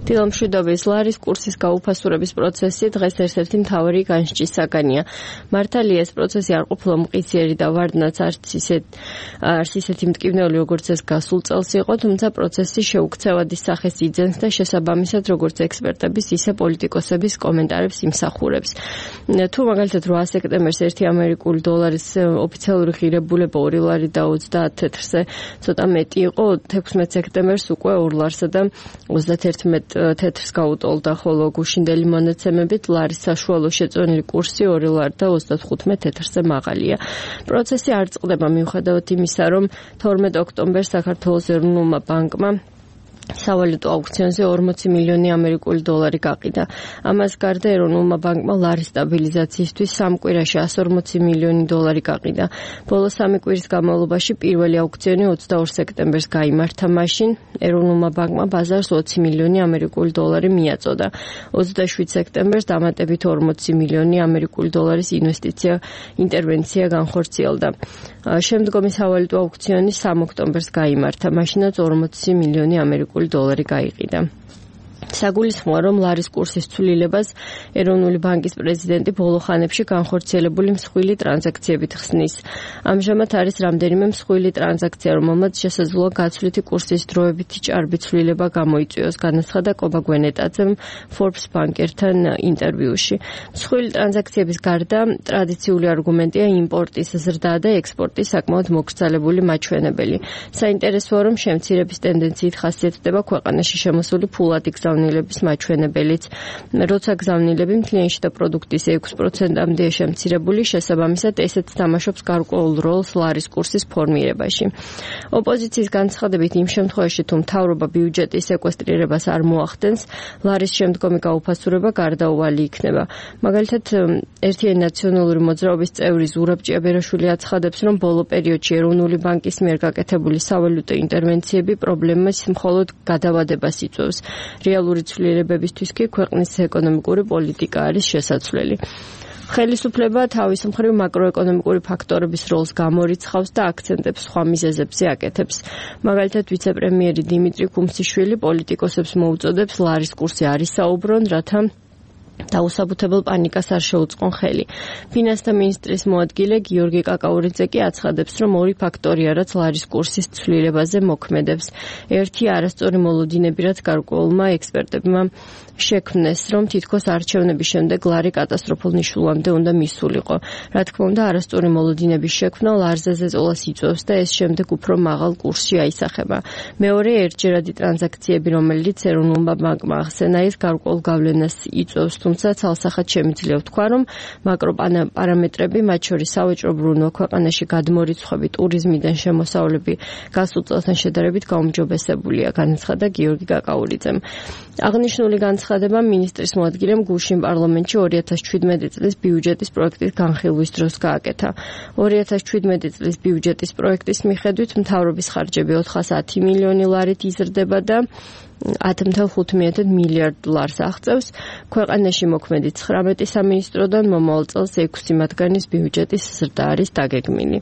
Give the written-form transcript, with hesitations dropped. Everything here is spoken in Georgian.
დილამშვიდობის ლარის კურსის გაუფასურების პროცესი დღეს ერთ-ერთი მთავარი განსჯის საგანია. მართალია ეს პროცესი არ ყოფილა მყისიერი და ვარდნაც არც ისეთი მტკივნეული, როგორც ეს გასულ წელს იყო, თუმცა პროცესი შეუქცევადის სახეს იძენს და შესაბამისად როგორც ექსპერტების, ისე პოლიტიკოსების კომენტარებს იმსახურებს. თუ მაგალითად 8 სექტემბერს 1 ამერიკული დოლარის ოფიციალური ღირებულება 2 ლარი და 30 თეთრზე ცოტა მეტი იყო, 16 სექტემბერს უკვე 2 ლარსა და 31 თეთრს გაუტოლდა, ხოლო გუშინდელი მონაცემებით ლარის საშუალო შეწონილი კურსი 2 ლარი და 35 თეთრზე მაღალია. პროცესი არ წყდება მიუხედავად იმისა, რომ 12 ოქტომბერს საქართველოს ეროვნულმა ბანკმა სავალუტო აუქციონზე 40 მილიონი ამერიკული დოლარი გაყიდა. ამას გარდა ეროვნულმა ბანკმა ლარის სტაბილიზაციისთვის 3 კვირაში 140 მილიონი დოლარი გაყიდა. ბოლო 3 კვირის განმავლობაში პირველი აუქციონი 22 სექტემბერს გაიმართა, მაშინ ეროვნულმა ბანკმა ბაზარს 20 მილიონი ამერიკული დოლარი მიაწოდა. 27 სექტემბერს დამატებით 40 მილიონი ამერიკული დოლარის ინტერვენცია განხორციელდა. შემდგომი სავალუტო აუქციონი 3 ოქტომბერს გაიმართა, მაშინაც 40 მილიონი ამერიკული დოლარი გაიყიდა. საგულისხმოა, რომ ლარის კურსის ცვლილებას ეროვნული ბანკის პრეზიდენტი ბოლო ხანებში განხორციელებული მსხვილი ტრანზაქციებით ხსნის. ამჟამად არის რამდენიმე მსხვილი ტრანზაქცია, რომელმაც შესაძლოა გაცვლითი კურსის დროებითი ჭარბი ცვლილება გამოიწვიოს, განაცხადა კობა გვენეტაძემ Forbes ბანკერთან ინტერვიუში. მსხვილი ტრანზაქციების გარდა ტრადიციული არგუმენტია იმპორტის ზრდა და ექსპორტის საკმაოდ მოკრძალებული მაჩვენებელი. საინტერესოა, რომ შემცირების ტენდენციით ხასიათდება ქვეყანაში შემოსული ფულადი გზავნილების მაჩვენებელიც. როცა გზავნილები მთლიანში და პროდუქტის 6%-მდეა შემცირებული, შესაბამისად ესეც თამაშობს გარკვეულ როლს ლარის კურსის ფორმირებაში. ოპოზიციის განცხადებით, იმ შემთხვევაში, თუ მთავრობა ბიუჯეტის სეკვესტრირებას არ მოახდენს, ლარის შემდგომი გაუფასურება გარდაუვალი იქნება. მაგალითად, ერთიანი ნაციონალური მოძრაობის წევრი ზურაბ ჭიაბერაშვილი აცხადებს, რომ ბოლო პერიოდში ეროვნული ბანკის მიერ გაკეთებული სავალუტო ინტერვენციები პრობლემას მხოლოდ გადავადებას იწვევს. რეალური ცვლილებებისთვის კი ქვეყნის ეკონომიკური პოლიტიკა არის შესაძლებელი. ხელისუფლება თავის მხრივ მაკროეკონომიკური ფაქტორების როლს გამორიცხავს და აქცენტებს სხვა მიზეზებზე აკეთებს. მაგალითად, ვიცე-პრემიერი დიმიტრი ქუმსიშვილი პოლიტიკოსებს მოუწოდებს ლარის კურსი არ ისაუბრონ, რათა დაუსაბუთებელ პანიკას არ შეუწყონ ხელი. ფინანსთა მინისტრის მოადგილე გიორგი კაკაურიძე კი აცხადებს, რომ 2 ფაქტორია, რაც ლარის კურსის ცვლილებაზე მოქმედებს. ერთი არასწორი მოლოდინები, რაც გარკვეულმა ექსპერტებმა შექმნეს, რომ თითქოს არჩევნების შემდეგ ლარი კატასტროფულ ნიშნულამდე უნდა მისულიყო. რა თქმა უნდა, არასწორი მოლოდინების შექმნა ლარზე ზეწოლას იწვევს და ეს შემდეგ უფრო მაღალ კურსში აისახება. მეორე, ერთჯერადი ტრანზაქციები, რომელიც ეროვნულმა ბანკმა ახსენა, ის გარკვეულ გავლენას იწვევს, თუმცა ცალსახად შემიძლია ვთქვა, რომ მაკროპარამეტრები, მათ შორის სავაჭრო ბრუნვა, ქვეყანაში გადმორიცხვები, ტურიზმიდან შემოსავლები გასულ წელთან შედარებით გაუმჯობესებულია, განაცხადა გიორგი კაკაურიძემ. აღნიშნული განცხადება მინისტრის მოადგილემ გუშინ პარლამენტში 2017 წლის ბიუჯეტის პროექტის განხილვის დროს გააკეთა. 2017 წლის ბიუჯეტის პროექტის მიხედვით მთავრობის ხარჯები 410 მილიონი ლარით იზრდება და 10.5 მილიარდ დოლარს აღწევს. ქვეყანაში მოქმედი 19 სამინისტროდან მომავალ წელს 6 მათგანის ბიუჯეტის ზრდა არის დაგეგმილი.